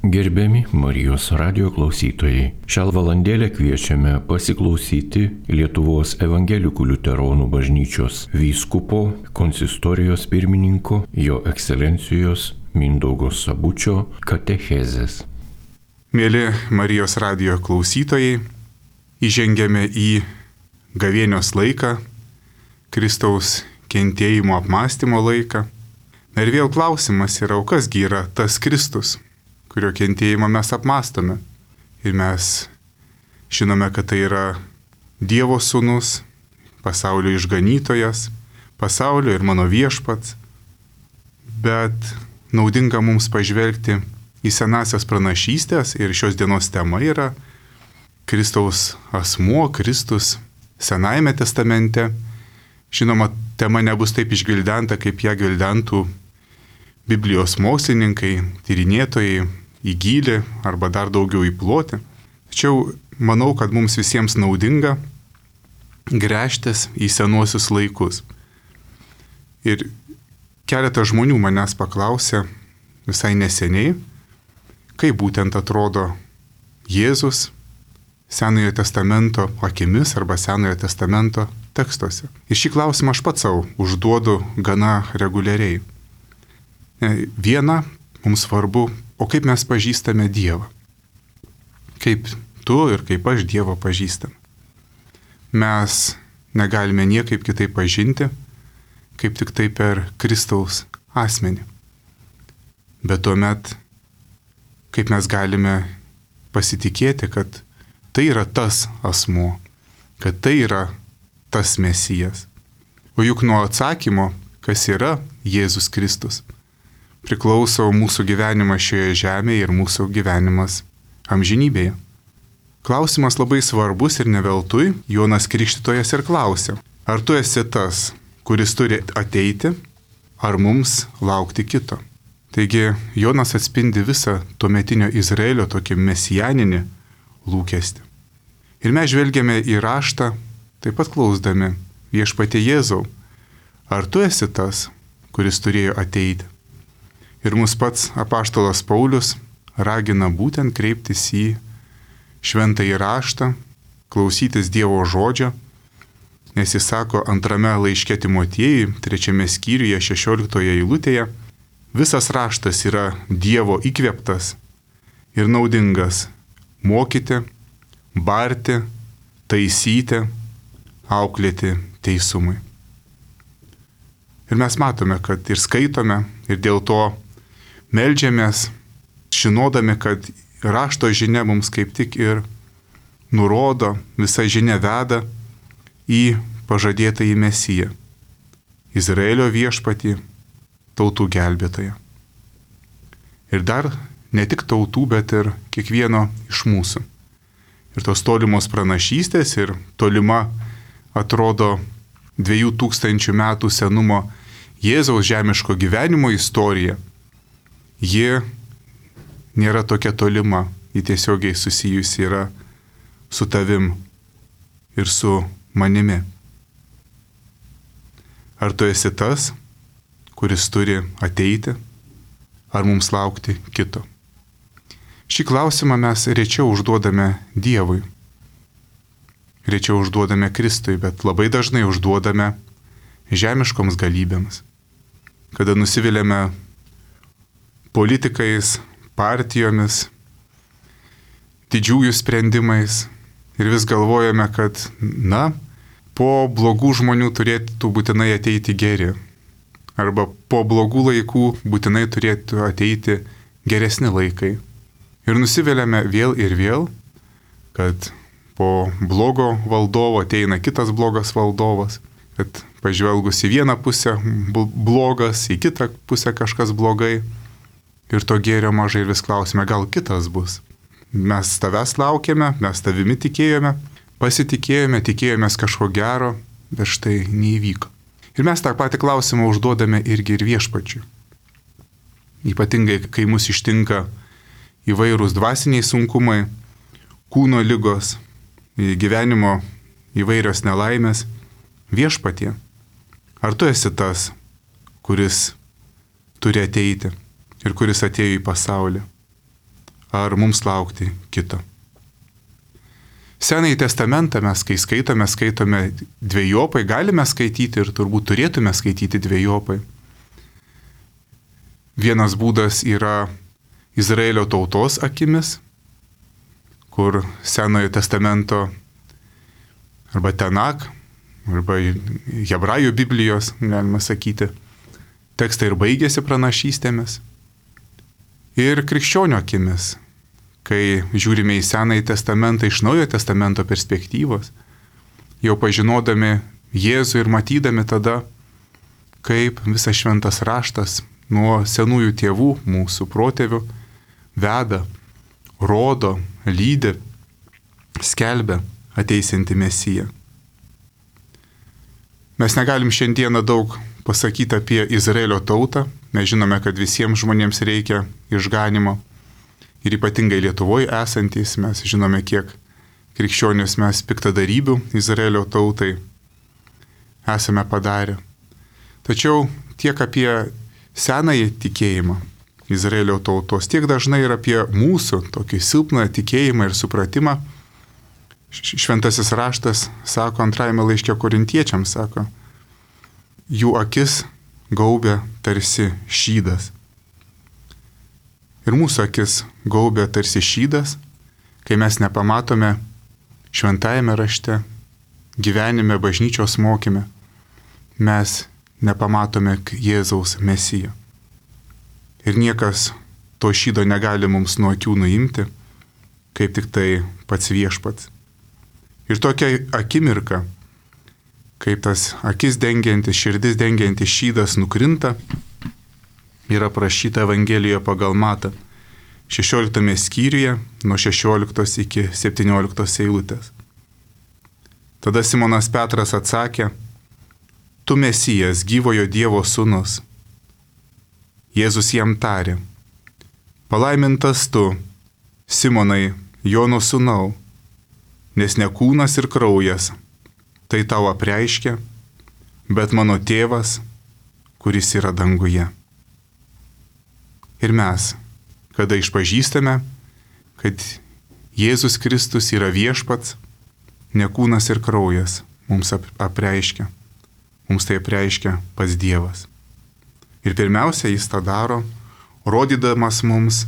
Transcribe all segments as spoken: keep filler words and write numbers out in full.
Gerbiami Marijos radijo klausytojai, šią valandėlę kviečiame pasiklausyti Lietuvos evangelikų liuteronų bažnyčios vyskupo, konsistorijos pirmininko, jo ekscelencijos Mindaugo Sabučio katechezės. Mėly Marijos radijo klausytojai, įžengėme į gavėnios laiką, Kristaus kentėjimo apmąstymo laiką. Ir vėl klausimas yra, o kasgi yra tas Kristus, kurio kentėjimą mes apmąstome. Ir mes žinome, kad tai yra Dievo sūnus, pasaulio išganytojas, pasaulio ir mano viešpats. Bet naudinga mums pažvelgti į senasias pranašystės ir šios dienos tema yra Kristaus asmuo, Kristus Senajame testamente. Žinoma, tema nebus taip išgvildenta, kaip ją gvildentų Biblijos mokslininkai, tyrinėtojai į gylį arba dar daugiau į plotį. Tačiau manau, kad mums visiems naudinga gręžtis į senuosius laikus. Ir keletas žmonių manęs paklausė visai neseniai, kaip būtent atrodo Jėzus Senojo testamento akimis arba Senojo testamento tekstuose. Ir šį klausimą aš pats savo užduodu gana reguliariai. Viena, mums svarbu, o kaip mes pažįstame Dievą. Kaip tu ir kaip aš Dievą pažįstam. Mes negalime niekaip kitaip pažinti, kaip tik tai per Kristaus asmenį. Bet tuomet, kaip mes galime pasitikėti, kad tai yra tas asmuo, kad tai yra tas Mesijas. O juk nuo atsakymo, kas yra Jėzus Kristus, priklauso mūsų gyvenimas šioje žemėje ir mūsų gyvenimas amžinybėje. Klausimas labai svarbus ir ne veltui Jonas Krikštytojas ir klausė, ar tu esi tas, kuris turi ateiti, ar mums laukti kito. Taigi Jonas atspindi visą tuometinio Izraelio tokį mesijaninį lūkestį. Ir mes žvelgiame į raštą, taip pat klausdami viešpatie Jėzau, ar tu esi tas, kuris turėjo ateiti. Ir mus pats apaštalas Paulius ragina būtent kreiptis į šventąjį raštą, klausytis Dievo žodžio, nes jis sako antrame laiške Timotiejui, trečiame skyriuje, šešioliktoje eilutėje, visas raštas yra Dievo įkvėptas ir naudingas mokyti, barti, taisyti, auklėti teisumui. Ir mes matome, kad ir skaitome, ir dėl to meldžiamės, žinodami, kad rašto žinia mums kaip tik ir nurodo, visa žinia veda į pažadėtąjį Mesiją, Izraelio viešpatį, tautų gelbėtoją. Ir dar ne tik tautų, bet ir kiekvieno iš mūsų. Ir tos tolimos pranašystės ir tolima atrodo dviejų tūkstančių metų senumo Jėzaus žemiško gyvenimo istorija. Ji nėra tokia tolima, ji tiesiogiai susijusi yra su tavim ir su manimi. Ar tu esi tas, kuris turi ateiti, ar mums laukti kito? Šį klausimą mes rečiau užduodame Dievui, rečiau užduodame Kristui, bet labai dažnai užduodame žemiškoms galybėms. Kada nusiviliame politikais, partijomis, didžiųjų sprendimais ir vis galvojame, kad, na, po blogų žmonių turėtų būtinai ateiti geri, arba po blogų laikų būtinai turėtų ateiti geresni laikai. Ir nusiviliame vėl ir vėl, kad po blogo valdovo ateina kitas blogas valdovas, kad pažvelgus į vieną pusę blogas, į kitą pusę kažkas blogai, ir to gėrio mažai ir vis klausime, gal kitas bus. Mes tavęs laukėme, mes tavimi tikėjome, pasitikėjome, tikėjomės kažko gero, bet štai neįvyko. Ir mes tą patį klausimą užduodame irgi ir viešpačiui. Ypatingai, kai mus ištinka įvairūs dvasiniai sunkumai, kūno ligos, gyvenimo įvairios nelaimės, viešpatie, ar tu esi tas, kuris turi ateiti ir kuris atėjo į pasaulį? ar mums laukti kito. Senąjį testamentą mes, kai skaitome, skaitome dvejopai, galime skaityti ir turbūt turėtume skaityti dvejopai. Vienas būdas yra Izraelio tautos akimis, kur Senojo testamento arba Tenak, arba Hebrajų Biblijos, galima sakyti, tekstai ir baigėsi pranašystėmis. Ir krikščionio akimis, kai žiūrime į Senąjį testamentą iš Naujojo testamento perspektyvos, jau pažinodami Jėzų ir matydami tada, kaip visas šventas raštas nuo senųjų tėvų, mūsų protėvių, veda, rodo, lydi, skelbia ateisinti Mesiją. Mes negalim šiandieną daug pasakyti apie Izraelio tautą, mes žinome, kad visiems žmonėms reikia išganimo. Ir ypatingai Lietuvoje esantys, mes žinome, kiek krikščionius mes piktadarybių Izraelio tautai esame padarę. Tačiau tiek apie senąjį tikėjimą Izraelio tautos, tiek dažnai ir apie mūsų tokį silpną tikėjimą ir supratimą. Šventasis raštas sako antrajame laiške Korintiečiams, sako, jų akis gaubia tarsi šydas. Ir mūsų akis gaubia tarsi šydas, kai mes nepamatome šventajame rašte, gyvenime, bažnyčios mokyme, mes nepamatome Jėzaus Mesiją. Ir niekas to šydo negali mums nuo akių nuimti, kaip tik tai pats viešpats. Ir tokia akimirka, kaip tas akis dengiantis, širdis dengiantis šydas nukrinta, yra prašyta Evangelijoje pagal Matą, šešioliktame skyriuje, nuo šešioliktos iki septynioliktos eilutės. Tada Simonas Petras atsakė, tu Mesijas, gyvojo Dievo sūnus. Jėzus jam tarė, palaimintas tu, Simonai, Jono sūnau, nes ne kūnas ir kraujas, tai tau apreiškia, bet mano tėvas, kuris yra danguje. Ir mes, kada išpažįstame, kad Jėzus Kristus yra viešpats, ne kūnas ir kraujas mums apreiškia. Mums tai apreiškia pats Dievas. Ir pirmiausia, jis tą daro, rodydamas mums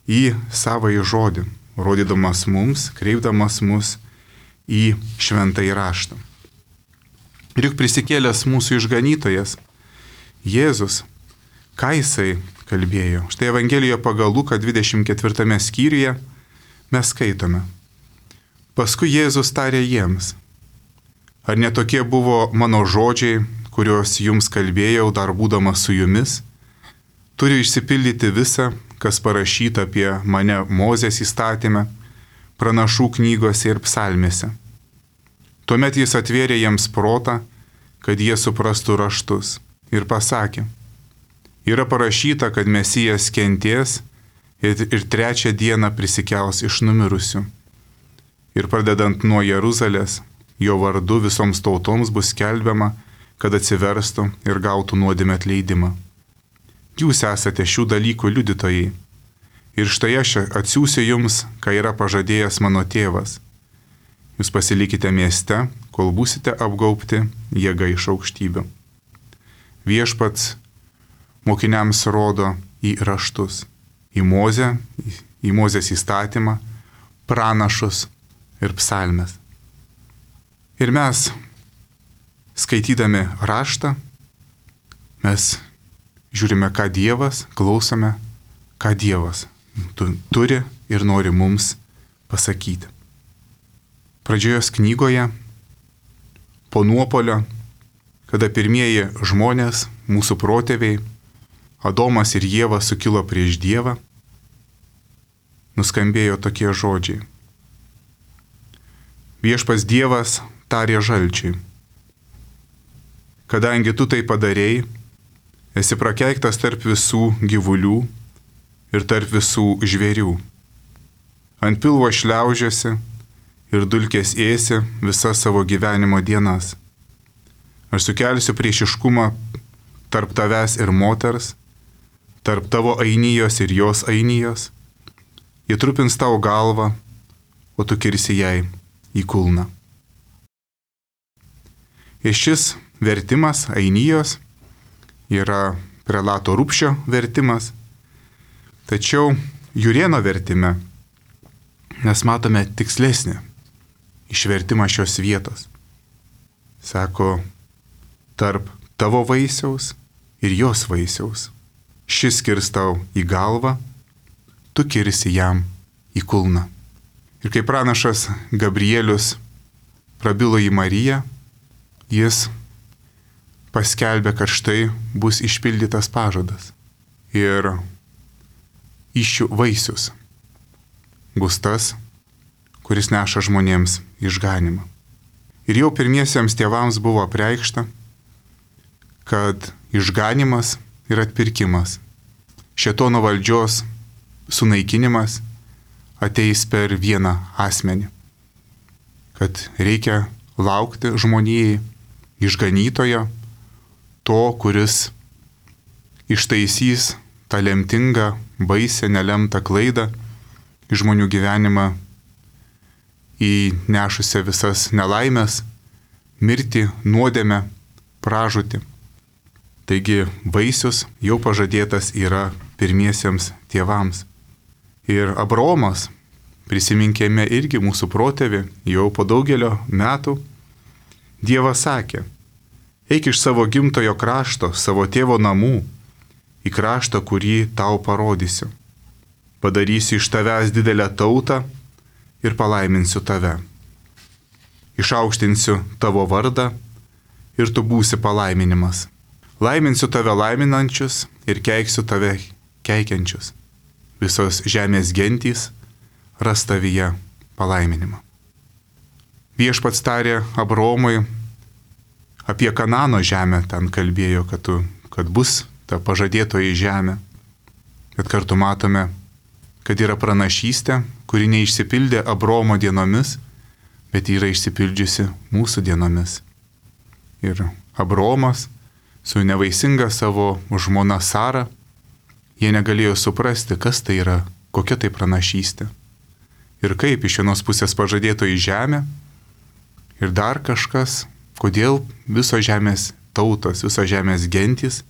į savąjį žodį, rodydamas mums, kreipdamas mus į šventąjį raštą. Ir juk prisikėlęs mūsų išganytojas, Jėzus, ką jisai kalbėjo? Štai Evangelijoje pagal Luką dvidešimt ketvirtame skyriuje mes skaitome. Paskui Jėzus tarė jiems, ar netokie buvo mano žodžiai, kuriuos jums kalbėjau dar būdamas su jumis? Turi išsipildyti visa, kas parašyta apie mane Mozės įstatyme, pranašų knygose ir psalmėse. Tuomet jis atvėrė jiems protą, kad jie suprastų raštus ir pasakė, yra parašyta, kad Mesijas kentės ir, ir trečią dieną prisikels iš numirusių. Ir pradedant nuo Jeruzalės, jo vardu visoms tautoms bus skelbiama, kad atsiverstų ir gautų nuodėmę atleidimą. Jūs esate šių dalykų liudytojai. Ir štai aš atsiųsiu jums, ką yra pažadėjęs mano tėvas. Jūs pasilikite mieste, kol būsite apgaubti jėga iš aukštybių. Viešpats mokiniams rodo į raštus, į Mozę, į Mozės įstatymą, pranašus ir psalmes. Ir mes, skaitydami raštą, mes žiūrime, ką Dievas, klausome, ką Dievas turi ir nori mums pasakyti. Pradžios knygoje, po nuopolio, kada pirmieji žmonės, mūsų protėviai, Adomas ir Ieva sukilo prieš Dievą, nuskambėjo tokie žodžiai. Viešpats Dievas tarė žalčiui, kadangi tu tai padarėjai, esi prakeiktas tarp visų gyvulių ir tarp visų žvėrių. Ant pilvo šliaužiasi ir dulkės ėsi visas savo gyvenimo dienas. Aš sukelsiu priešiškumą tarp tavęs ir moters, tarp tavo ainijos ir jos ainijos. ji trupins tau galvą, o tu kirsi jai į kulną. Ir šis vertimas Ainijos yra prelato Rupšio vertimas, tačiau Jurėno vertime mes matome tikslesnį išvertimą šios vietos. Sako, tarp tavo vaisiaus ir jos vaisiaus. Šis kirs tau į galvą, tu kirsi jam į kulną. Ir kai pranašas Gabrielius prabilo į Mariją, jis paskelbė, kad štai bus išpildytas pažadas. Ir įsčių vaisius bus tas, kuris neša žmonėms išganimą. Ir jau pirmiesiems tėvams buvo apreikšta, kad išganimas ir atpirkimas, šėtono valdžios sunaikinimas ateis per vieną asmenį. Kad reikia laukti žmonijai išganytojo, to, kuris ištaisys tą lemtingą, baisę, nelemtą klaidą į žmonių gyvenimą, įnešusią visas nelaimės, mirtį, nuodėmę, pražūtį. Taigi vaisius jau pažadėtas yra pirmiesiems tėvams. Ir Abraomas, prisiminkime irgi mūsų protėvį, jau po daugelio metų, Dievas sakė, eik iš savo gimtojo krašto, savo tėvo namų, į kraštą, kurį tau parodysiu. Padarysiu iš tavęs didelę tautą ir palaiminsiu tave. Išaukštinsiu tavo vardą ir tu būsi palaiminimas. Laiminsiu tave laiminančius ir keiksiu tave keikiančius. Visos žemės gentys ras tavyje palaiminimą. Viešpats tarė Abraomui apie Kanano žemę, ten kalbėjo, kad, tu, kad bus ta pažadėtoji žemė. Bet kartu matome, kad yra pranašystė, kuri neišsipildė Abraomo dienomis, bet yra išsipildžiusi mūsų dienomis. Ir Abraomas su nevaisinga savo žmona Sara, jie negalėjo suprasti, kas tai yra, kokia tai pranašystė. Ir kaip iš vienos pusės pažadėtoji žemė, ir dar kažkas, kodėl visos žemės tautos, visos žemės gentys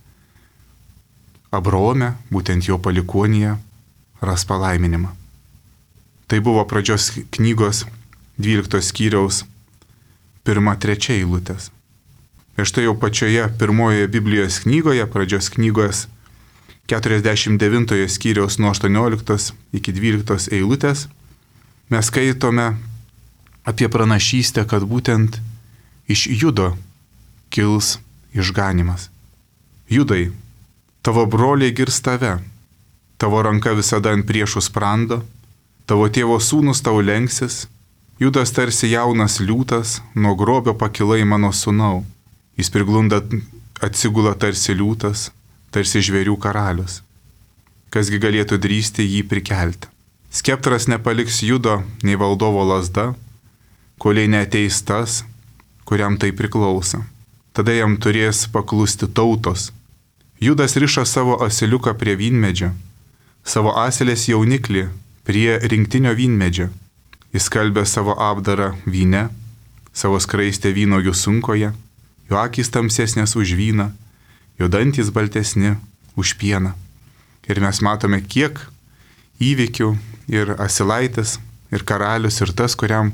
Abraome, būtent jo palikuonyje, ras palaiminimą. Tai buvo pradžios knygos dvyliktos skyriaus pirma trečia eilutės. Ir štai jau pačioje pirmojoje Biblijos knygoje, pradžios knygos keturiasdešimt devintojo skyriaus nuo aštuonioliktos iki dvyliktos eilutės, mes skaitome apie pranašystę, kad būtent iš Judo kils išganimas. Judai, tavo broliai girs tave, tavo ranka visada ant priešų sprando, tavo tėvo sūnus tau lenksis, Judas tarsi jaunas liūtas, nuo grobio pakilai mano sūnau, jis priglunda atsigula tarsi liūtas, tarsi žvėrių karalius. Kasgi galėtų drįsti jį prikelti? Skeptras nepaliks Judo nei valdovo lazda, koliai neateis tas, kuriam tai priklauso. Tada jam turės paklusti tautos. Judas riša savo asiliuką prie vynmedžio, savo asilės jauniklį prie rinktinio vynmedžio. Jis skalbė savo apdarą vyne, savo skraistę vynogių sunkoje, jo akys tamsesnės už vyną, jo dantys baltesni už pieną. Ir mes matome, kiek įvykių ir asilaitis, ir karalius, ir tas, kuriam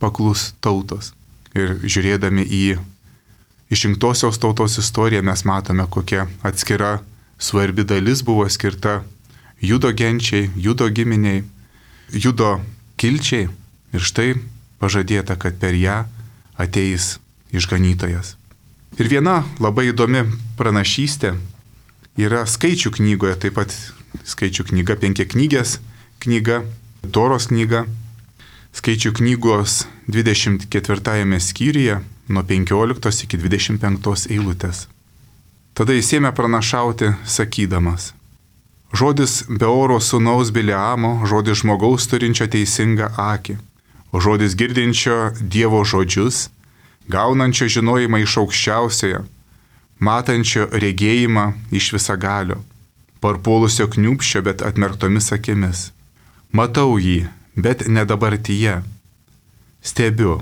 paklus tautos. Ir žiūrėdami į išrinktosios tautos istoriją, mes matome, kokia atskira svarbi dalis buvo skirta Judo genčiai, Judo giminiai, Judo kilčiai. Ir štai pažadėta, kad per ją ateis išganytojas. Ir viena labai įdomi pranašystė yra Skaičių knygoje, taip pat Skaičių knyga, penkiaknygės knyga, Toros knyga, Skaičių knygos dvidešimt ketvirtajame skyriuje nuo penkioliktos iki dvidešimt penktos eilutės. Tada jis ėmė pranašauti, sakydamas: žodis Beoro sūnaus Bileamo, žodis žmogaus turinčio teisingą akį, o žodis girdinčio Dievo žodžius, gaunančio žinojimą iš aukščiausiojo, matančio regėjimą iš visagalio, parpuolusio kniūpščio, bet atmerktomis akimis, Matau jį, bet ne dabartyje. Stebiu,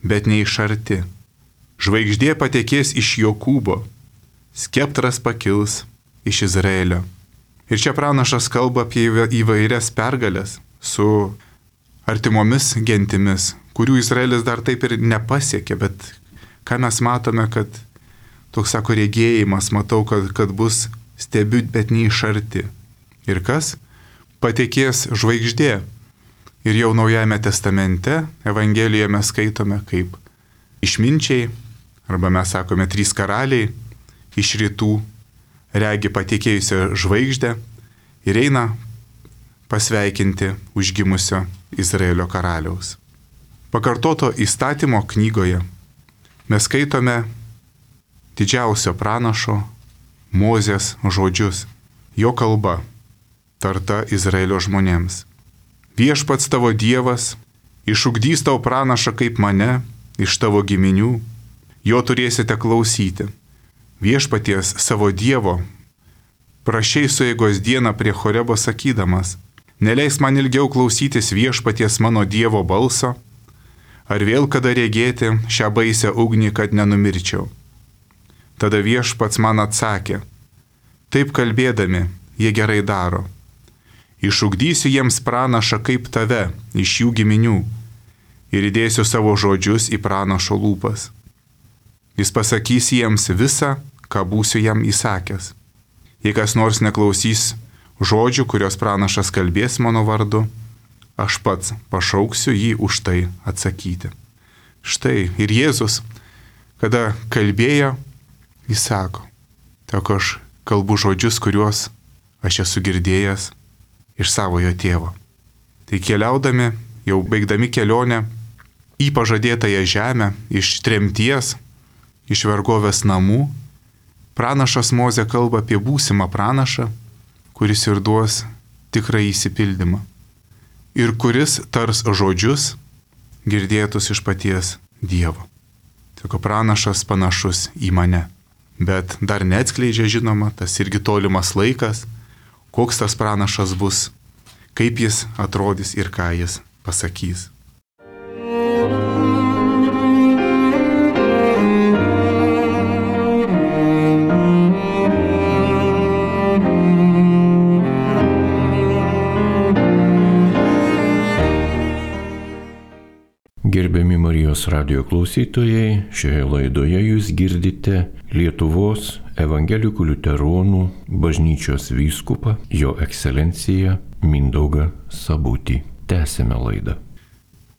bet ne iš arti. Žvaigždė patekės iš Jokūbo, skeptras pakils iš Izraelio. Ir čia pranašas kalba apie įvairias pergalės su artimomis gentimis, kurių Izraelis dar taip ir nepasiekė, bet ką mes matome, kad toks sako regėjimas, matau, kad, kad bus stebiu, bet ne iš arti. Ir kas? Patekės žvaigždė. Ir jau Naujajame testamente, Evangelijoje mes skaitome kaip išminčiai, arba mes sakome trys karaliai iš rytų regi patekėjusią žvaigždę ir eina pasveikinti užgimusio Izraelio karaliaus. Pakartoto įstatymo knygoje mes skaitome didžiausio pranašo Mozės žodžius, jo kalba tarta Izraelio žmonėms. Viešpats tavo Dievas išugdys tau pranašą kaip mane iš tavo giminių, jo turėsite klausyti. Viešpaties savo Dievo prašei sueigos dieną prie Horebo sakydamas, neleis man ilgiau klausytis viešpaties mano Dievo balso, ar vėl kada regėti šią baisę ugnį, kad nenumirčiau. Tada viešpats man atsakė, taip kalbėdami, jie gerai daro. Išugdysiu jiems pranašą kaip tave iš jų giminių ir įdėsiu savo žodžius į pranašo lūpas. Jis pasakys jiems visą, ką būsiu jam įsakęs. Jei kas nors neklausys žodžių, kurios pranašas kalbės mano vardu, aš pats pašauksiu jį už tai atsakyti. Štai ir Jėzus, kada kalbėjo, jis sako, tik aš kalbu žodžius, kuriuos aš esu girdėjęs iš savojo tėvo. Tai keliaudami, jau baigdami kelionę į pažadėtąją žemę, iš tremties, iš vergovės namų, pranašas Mozė kalba apie būsimą pranašą, kuris ir duos tikrą įsipildymą. Ir kuris tars žodžius girdėtus iš paties Dievo. Sako, pranašas panašus į mane. Bet dar neatskleidžia, žinoma, tas irgi tolimas laikas, koks tas pranašas bus, kaip jis atrodys ir ką jis pasakys. Gerbiami Marijos radijo klausytojai, šioje laidoje jūs girdite Lietuvos evangelikų liuteronų bažnyčios vyskupą, jo ekscelenciją Mindaugą Sabutį. Tęsime laidą.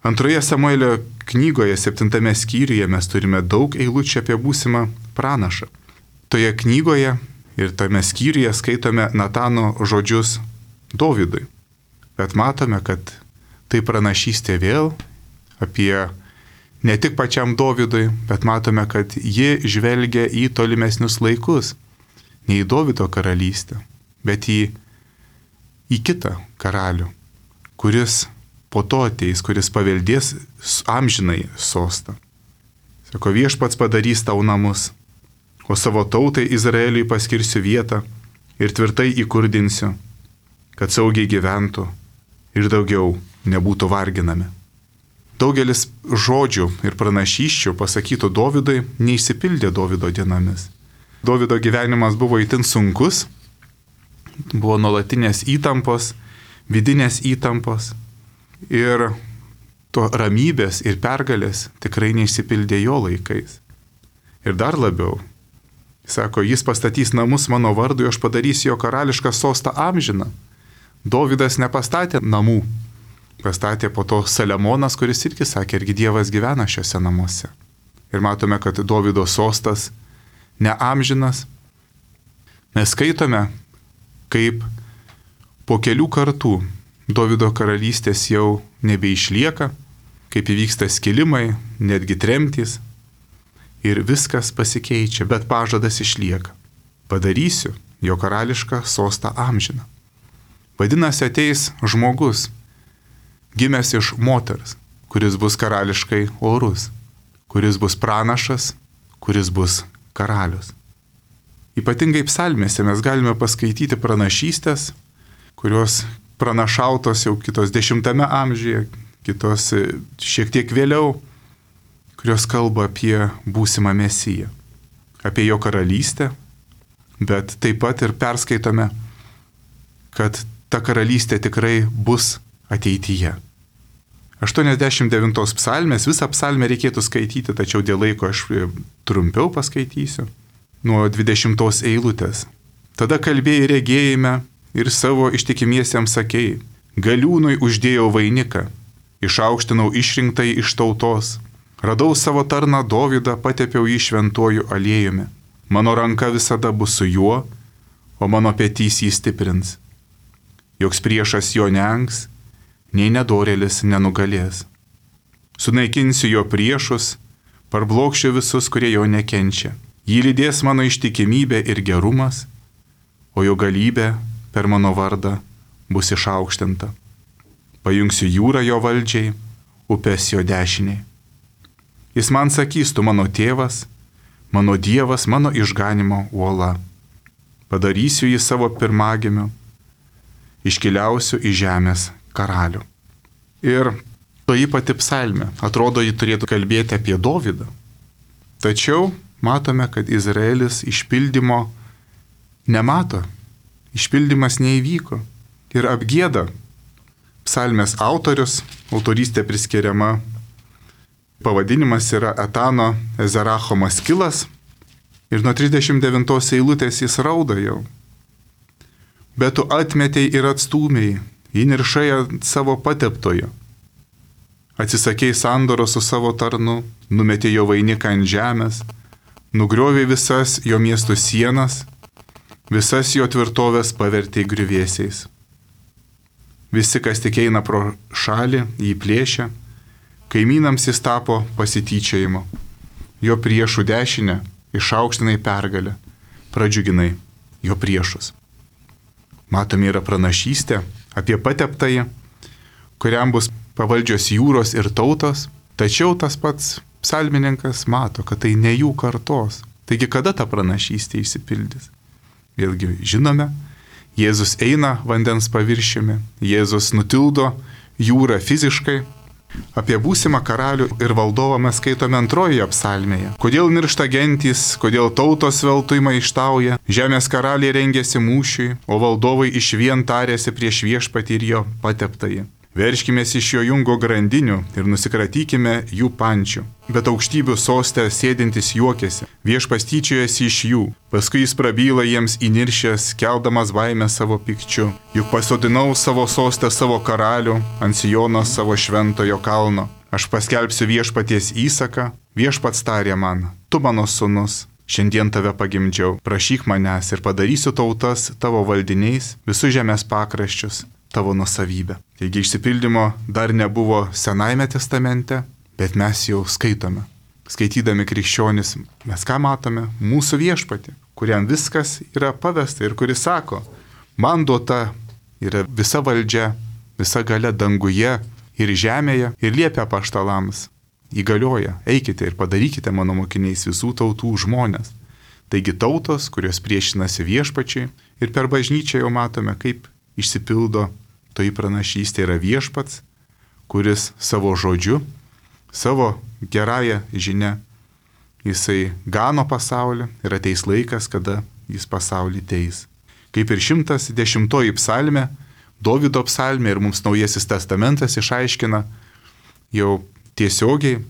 Antroje Samuelio knygoje, septintame skyriuje, mes turime daug eilučių apie būsimą pranašą. Toje knygoje ir tame skyriuje skaitome Natano žodžius Dovydui. Bet matome, kad tai pranašystė vėl apie ne tik pačiam Dovydui, bet matome, kad ji žvelgia į tolimesnius laikus, ne į Dovydo karalystę, bet į, į kitą karalių, kuris po to ateis, kuris paveldės amžinai sostą. Sako, viešpats padarys tau namus, o savo tautai Izraeliui paskirsiu vietą ir tvirtai įkurdinsiu, kad saugiai gyventų ir daugiau nebūtų varginami. Daugelis žodžių ir pranašysčių pasakytų Dovydui neišsipildė Dovydo dienomis. Dovydo gyvenimas buvo itin sunkus, buvo nuolatinės įtampos, vidinės įtampos ir to ramybės ir pergalės tikrai neišsipildė jo laikais. Ir dar labiau, sako, jis pastatys namus mano vardui, aš padarysiu jo karališką sostą amžiną. Dovydas nepastatė namų. Pastatė po to Saliamonas, kuris irgi sakė, irgi Dievas gyvena šiuose namuose. Ir matome, kad Dovydo sostas neamžinas. Mes skaitome, kaip po kelių kartų Dovydo karalystės jau nebeišlieka, kaip įvyksta skilimai, netgi tremtys. Ir viskas pasikeičia, bet pažadas išlieka. Padarysiu jo karališką sostą amžiną. Vadinasi, ateis žmogus, gimęs iš moters, kuris bus karališkai orus, kuris bus pranašas, kuris bus karalius. Ypatingai psalmėse mes galime paskaityti pranašystės, kurios pranašautos jau kitos dešimtame amžiuje, kitos šiek tiek vėliau, kurios kalba apie būsimą Mesiją, apie jo karalystę, bet taip pat ir perskaitome, kad ta karalystė tikrai bus ateityje. aštuoniasdešimt devintos psalmės, visą psalmę reikėtų skaityti, tačiau dėl laiko aš trumpiau paskaitysiu. Nuo dvidešimtos eilutės. Tada kalbėjai regėjime ir savo ištikimiesiems sakėjai, galiūnui uždėjau vainiką, išaukštinau išrinktai iš tautos, radau savo tarną Dovydą, patepiau jį šventuoju aliejumi. Mano ranka visada bus su juo, o mano petys jį stiprins. Joks priešas jo nengs, nei nedorėlis nenugalės. Sunaikinsiu jo priešus, parblokšiu visus, kurie jo nekenčia. Jį lydės mano ištikimybė ir gerumas, o jo galybė per mano vardą bus išaukštinta. Pajungsiu jūrą jo valdžiai, upės jo dešiniai. Jis man sakys, tu mano tėvas, mano Dievas, mano išganimo uola. Padarysiu jį savo pirmagimiu, iškiliausiu į žemės karalių. Ir toji pati psalmė, atrodo, ji turėtų kalbėti apie Dovydą. Tačiau matome, kad Izraelis išpildymo nemato, išpildymas neįvyko ir apgėda. Psalmės autorius, autorystė priskiriama, pavadinimas yra Etano Ezeracho Maskilas ir nuo trisdešimt devintos eilutės jis rauda jau. Bet tu atmetei ir atstūmėjai, įniršai ant savo pateptojo. Atsisakei sandoro su savo tarnu, numetė jo vainiką ant žemės, nugriovė visas jo miestų sienas, visas jo tvirtovės pavertė griuvėsiais. Visi, kas tik eina pro šalį, jį plėšia, kaimynams jis tapo pasityčiojimo. Jo priešų dešinę išaukštinai pergalę, pradžiuginai jo priešus. Matome yra pranašystė apie pateptąjį, kuriam bus pavaldžios jūros ir tautos, tačiau tas pats psalmininkas mato, kad tai ne jų kartos. Taigi kada ta pranašystė išsipildys? Vėlgi žinome, Jėzus eina vandens paviršiumi, Jėzus nutildo jūrą fiziškai. Apie būsimą karalių ir valdovą mes skaitome antrojoje psalmėje. Kodėl niršta gentys, kodėl tautos veltui maištauja, žemės karaliai rengėsi mūšiui, o valdovai išvien tarėsi prieš viešpatį ir jo pateptąjį. Verškimės iš jo jungo grandinių ir nusikratykime jų pančių. Bet aukštybių soste sėdintis juokėsi, viešpats tyčiojasi iš jų. Paskui jis prabyla jiems įniršęs, keldamas baimę savo pikčiu. Juk pasodinau savo sostę savo karalių, ant Sijono savo šventojo kalno. Aš paskelbsiu viešpaties įsaką, viešpats tarė man, tu mano sūnus, šiandien tave pagimdžiau, prašyk manęs ir padarysiu tautas tavo valdiniais, visus žemės pakraščius tavo nusavybę. Taigi išsipildymo dar nebuvo Senajame testamente, bet mes jau skaitome. Skaitydami krikščionis, mes ką matome? Mūsų viešpatį, kuriam viskas yra pavesta ir kuris sako, man duota yra visa valdžia, visa galia danguje ir žemėje ir liepia apaštalams, įgalioja, eikite ir padarykite mano mokiniais visų tautų žmonės. Taigi tautos, kurios priešinasi viešpačiai ir per bažnyčią jau matome, kaip išsipildo toji pranašystė yra viešpats, kuris savo žodžiu, savo gerąją žinę, jisai gano pasaulį ir ateis laikas, kada jis pasaulį teis. Kaip ir šimtas dešimtoji psalmė, Dovydo psalmė ir mums Naujasis testamentas išaiškina jau tiesiogiai,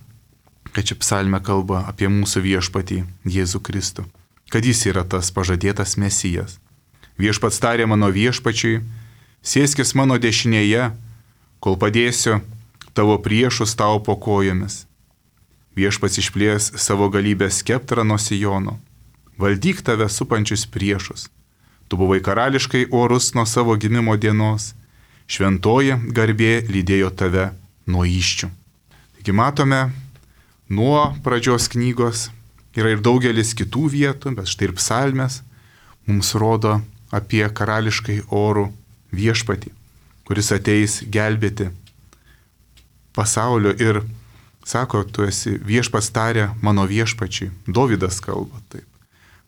kad ši psalmė kalba apie mūsų viešpatį Jėzų Kristų, kad jis yra tas pažadėtas Mesijas. Viešpats tarė mano viešpačiui, sėskis mano dešinėje, kol padėsiu tavo priešus tau po kojomis. Viešpats išplės savo galybės skeptrą nuo Sijono. Valdyk tave supančius priešus. Tu buvai karališkai orus nuo savo gimimo dienos. Šventoji garbė lydėjo tave nuo įščių. Taigi matome, nuo pradžios knygos yra ir daugelis kitų vietų, bet štai ir psalmės mums rodo apie karališkai orų viešpatį, kuris ateis gelbėti pasaulio ir sako, tu esi viešpats tarė mano viešpačiai. Dovydas kalba taip.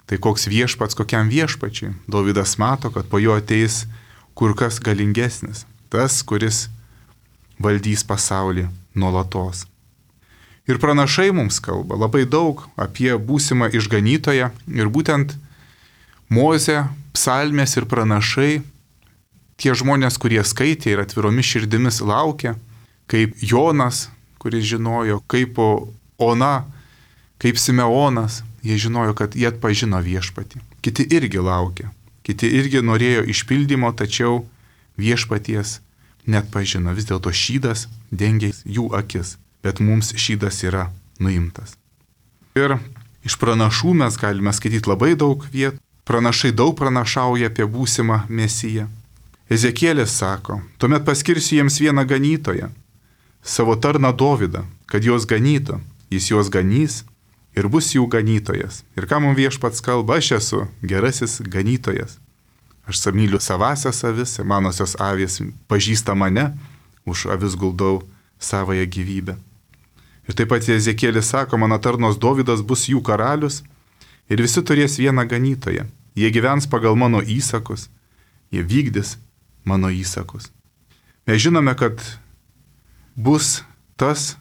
Tai koks viešpats, kokiam viešpačiai? Dovydas mato, kad po jo ateis kur kas galingesnis, tas, kuris valdys pasaulį nuolatos. Ir pranašai mums kalba labai daug apie būsimą išganytoją ir būtent Mozė, psalmės ir pranašai, tie žmonės, kurie skaitė ir atviromis širdimis laukia, kaip Jonas, kuris žinojo, kaip Ona, kaip Simeonas, jie žinojo, kad jie atpažino viešpatį. Kiti irgi laukia, kiti irgi norėjo išpildymo, tačiau viešpaties net pažino. Vis dėlto šydas dengia jų akis, bet mums šydas yra nuimtas. Ir iš pranašų mes galime skaityti labai daug vietų. Pranašai daug pranašauja apie būsimą Mesiją. Ezekielis sako, tuomet paskirsiu jiems vieną ganytoją, savo tarną Dovydą, kad juos ganytų, jis juos ganys ir bus jų ganytojas. Ir ką mums viešpats kalba, aš esu gerasis ganytojas. Aš myliu savasias avis, manosios avys pažįsta mane, už avis guldau savąją gyvybę. Ir taip pat Ezekielis sako, mano tarnos Dovydas bus jų karalius ir visi turės vieną ganytoją. Jie gyvens pagal mano įsakus, jie vykdys mano įsakus. Mes žinome, kad bus tas,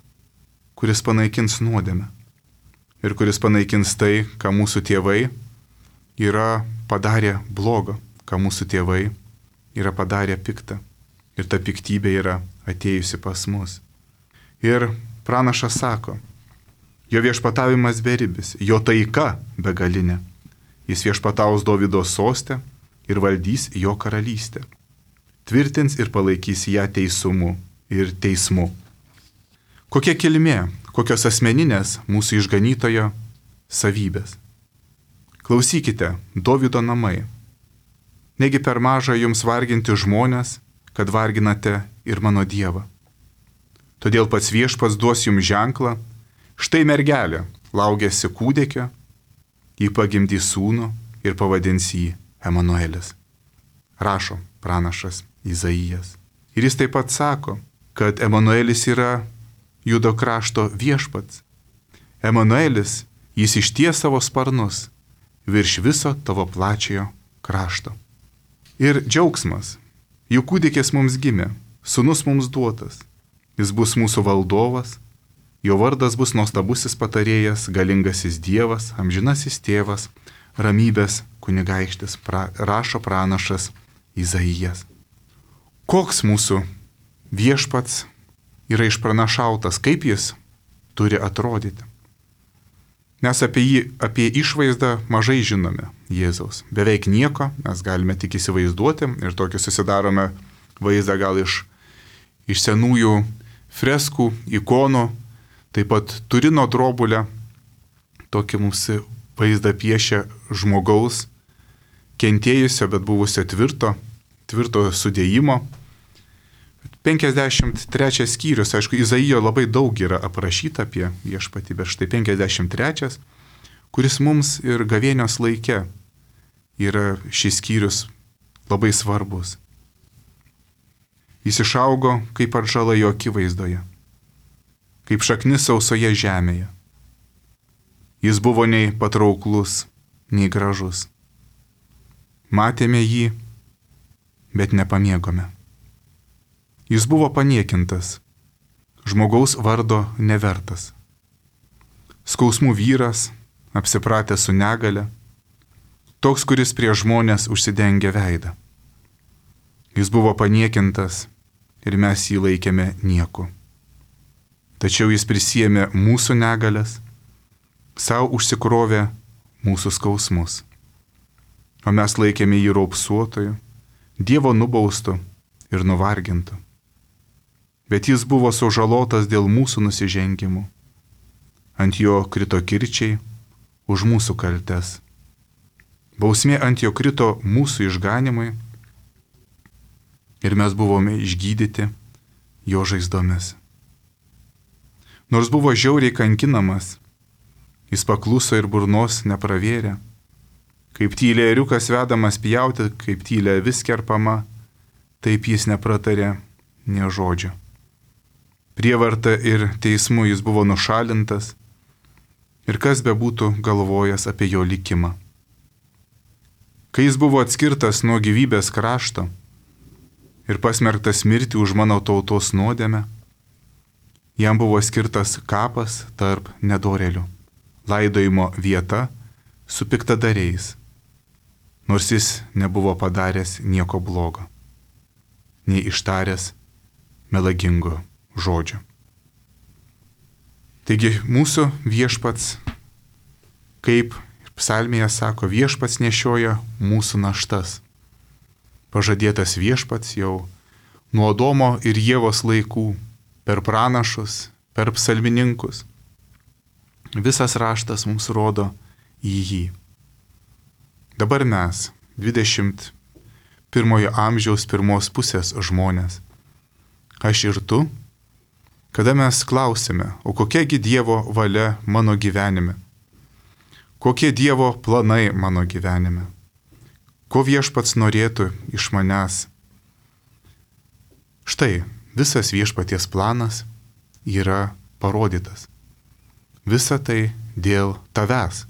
kuris panaikins nuodėmę ir kuris panaikins tai, ką mūsų tėvai yra padarę blogo, ką mūsų tėvai yra padarę piktą. Ir ta piktybė yra atėjusi pas mus. Ir pranašas sako, jo viešpatavimas beribis, jo taika begalinė. Jis viešpataus Dovydo soste ir valdys jo karalystę. Tvirtins ir palaikys ją teisumu ir teismu. Kokia kilmė, kokios asmeninės mūsų išganytojo savybės. Klausykite, Dovydo namai. Negi per maža jums varginti žmonės, kad varginate ir mano Dievą. Todėl pats viešpats duos jums ženklą, štai mergelė laukėsi kūdikio, jį pagimdys sūnų ir pavadins jį Emanuelis. Rašo pranašas Izaijas. Ir jis taip pat sako, kad Emanuelis yra Judo krašto viešpats. Emanuelis, jis išties savo sparnus virš viso tavo plačiojo krašto. Ir džiaugsmas, jų kūdikis mums gimė, sūnus mums duotas, jis bus mūsų valdovas, jo vardas bus nuostabusis patarėjas, galingasis Dievas, amžinasis tėvas, ramybės kunigaikštis, pra, rašo pranašas Izaijas. Koks mūsų viešpats yra išpranašautas, kaip jis turi atrodyti? Mes apie jį, apie išvaizdą mažai žinome Jėzaus. Beveik nieko, mes galime tik įsivaizduoti ir tokį susidarome vaizdą gal iš, iš senųjų freskų, ikonų. Taip pat Turino drobulę, tokį mums vaizdą piešia žmogaus, kentėjusio, bet buvusio tvirto, tvirto sudėjimo. penkiasdešimt trečias skyrius, aišku, Izaijo labai daug yra aprašyta apie viešpatį, bet štai penkiasdešimt trečias, kuris mums ir gavėnios laike yra šis skyrius labai svarbus. Jis išaugo kaip atžala jo akivaizdoje, kaip šaknis sausoje žemėje. Jis buvo nei patrauklus, nei gražus. Matėme jį, bet nepamėgome. Jis buvo paniekintas, žmogaus vardo nevertas. Skausmų vyras, apsipratęs su negale, toks, kuris prie žmonės užsidengia veidą. Jis buvo paniekintas ir mes jį laikėme nieku. Tačiau jis prisėmė mūsų negalės, savo užsikrovė mūsų skausmus. O mes laikėme jį raupsuotoju, Dievo nubaustu ir nuvargintu. Bet jis buvo sužalotas dėl mūsų nusižengimų. Ant jo krito kirčiai už mūsų kaltes. Bausmė ant jo krito mūsų išganimui ir mes buvome išgydyti jo žaizdomis. Nors buvo žiauriai kankinamas, jis pakluso ir burnos nepravėrė. Kaip tylė ėriukas vedamas pjauti, kaip tylė vis kerpama, taip jis nepratarė nė žodžio. Prievarta ir teismu jis buvo nušalintas ir kas bebūtų galvojęs apie jo likimą. Kai jis buvo atskirtas nuo gyvybės krašto, ir pasmerktas mirti už mano tautos nuodėmę. Jam buvo skirtas kapas tarp nedorėlių, laidojimo vieta su piktadariais, nors jis nebuvo padaręs nieko blogo, nei ištaręs melagingo žodžio. Taigi mūsų viešpats, kaip psalmėje sako, viešpats nešioja mūsų naštas. Pažadėtas viešpats jau nuo Adomo ir Ievos laikų, per pranašus, per psalmininkus. Visas raštas mums rodo į jį. Dabar mes, dvidešimt pirmojo amžiaus pirmos pusės žmonės, aš ir tu, kada mes klausime, o kokiagi Dievo valia mano gyvenime, kokie Dievo planai mano gyvenime, ko viešpats norėtų iš manęs. Štai, visas viešpaties planas yra parodytas. Visa tai dėl tavęs.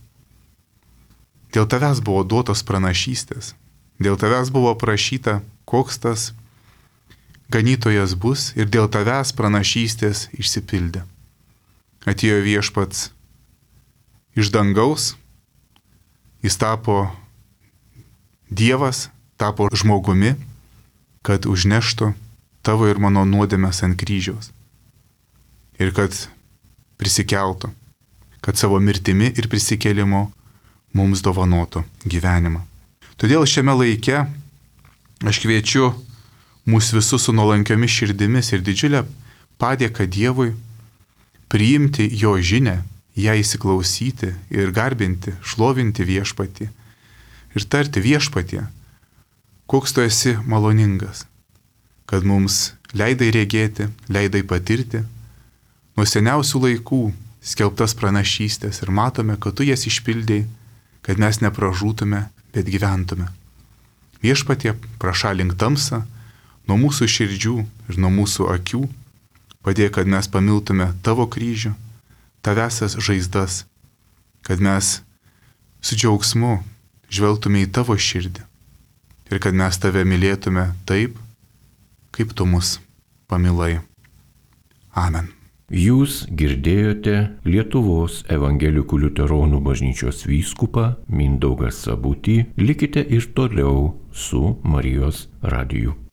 Dėl tavęs buvo duotos pranašystės. Dėl tavęs buvo prašyta, koks tas ganytojas bus, ir dėl tavęs pranašystės išsipildė. Atėjo viešpats iš dangaus, jis tapo Dievas, tapo žmogumi, kad užneštų tavo ir mano nuodėmes ant kryžiaus. Ir kad prisikeltų, kad savo mirtimi ir prisikėlimu mums dovanotų gyvenimą. Todėl šiame laike aš kviečiu mūsų visus su nuolankiomis širdimis ir didžiulę padėką Dievui priimti jo žinią, ją įsiklausyti ir garbinti, šlovinti viešpatį ir tarti viešpatie, koks tu esi maloningas, kad mums leidai regėti, leidai patirti nuo seniausių laikų skelbtas pranašystės ir matome, kad tu jas išpildėjai, kad mes nepražūtume, bet gyventume. Viešpatie, prašalink tamsą nuo mūsų širdžių ir nuo mūsų akių, padėk, kad mes pamiltume tavo kryžių, tavesias žaizdas, kad mes su džiaugsmu žvelgtume į tavo širdį ir kad mes tave mylėtume taip, kaip tu mus pamilai. Amen. Jūs girdėjote Lietuvos evangelikų liuteronų bažnyčios vyskupą Mindaugą Sabutį. Likite ir toliau su Marijos radiju.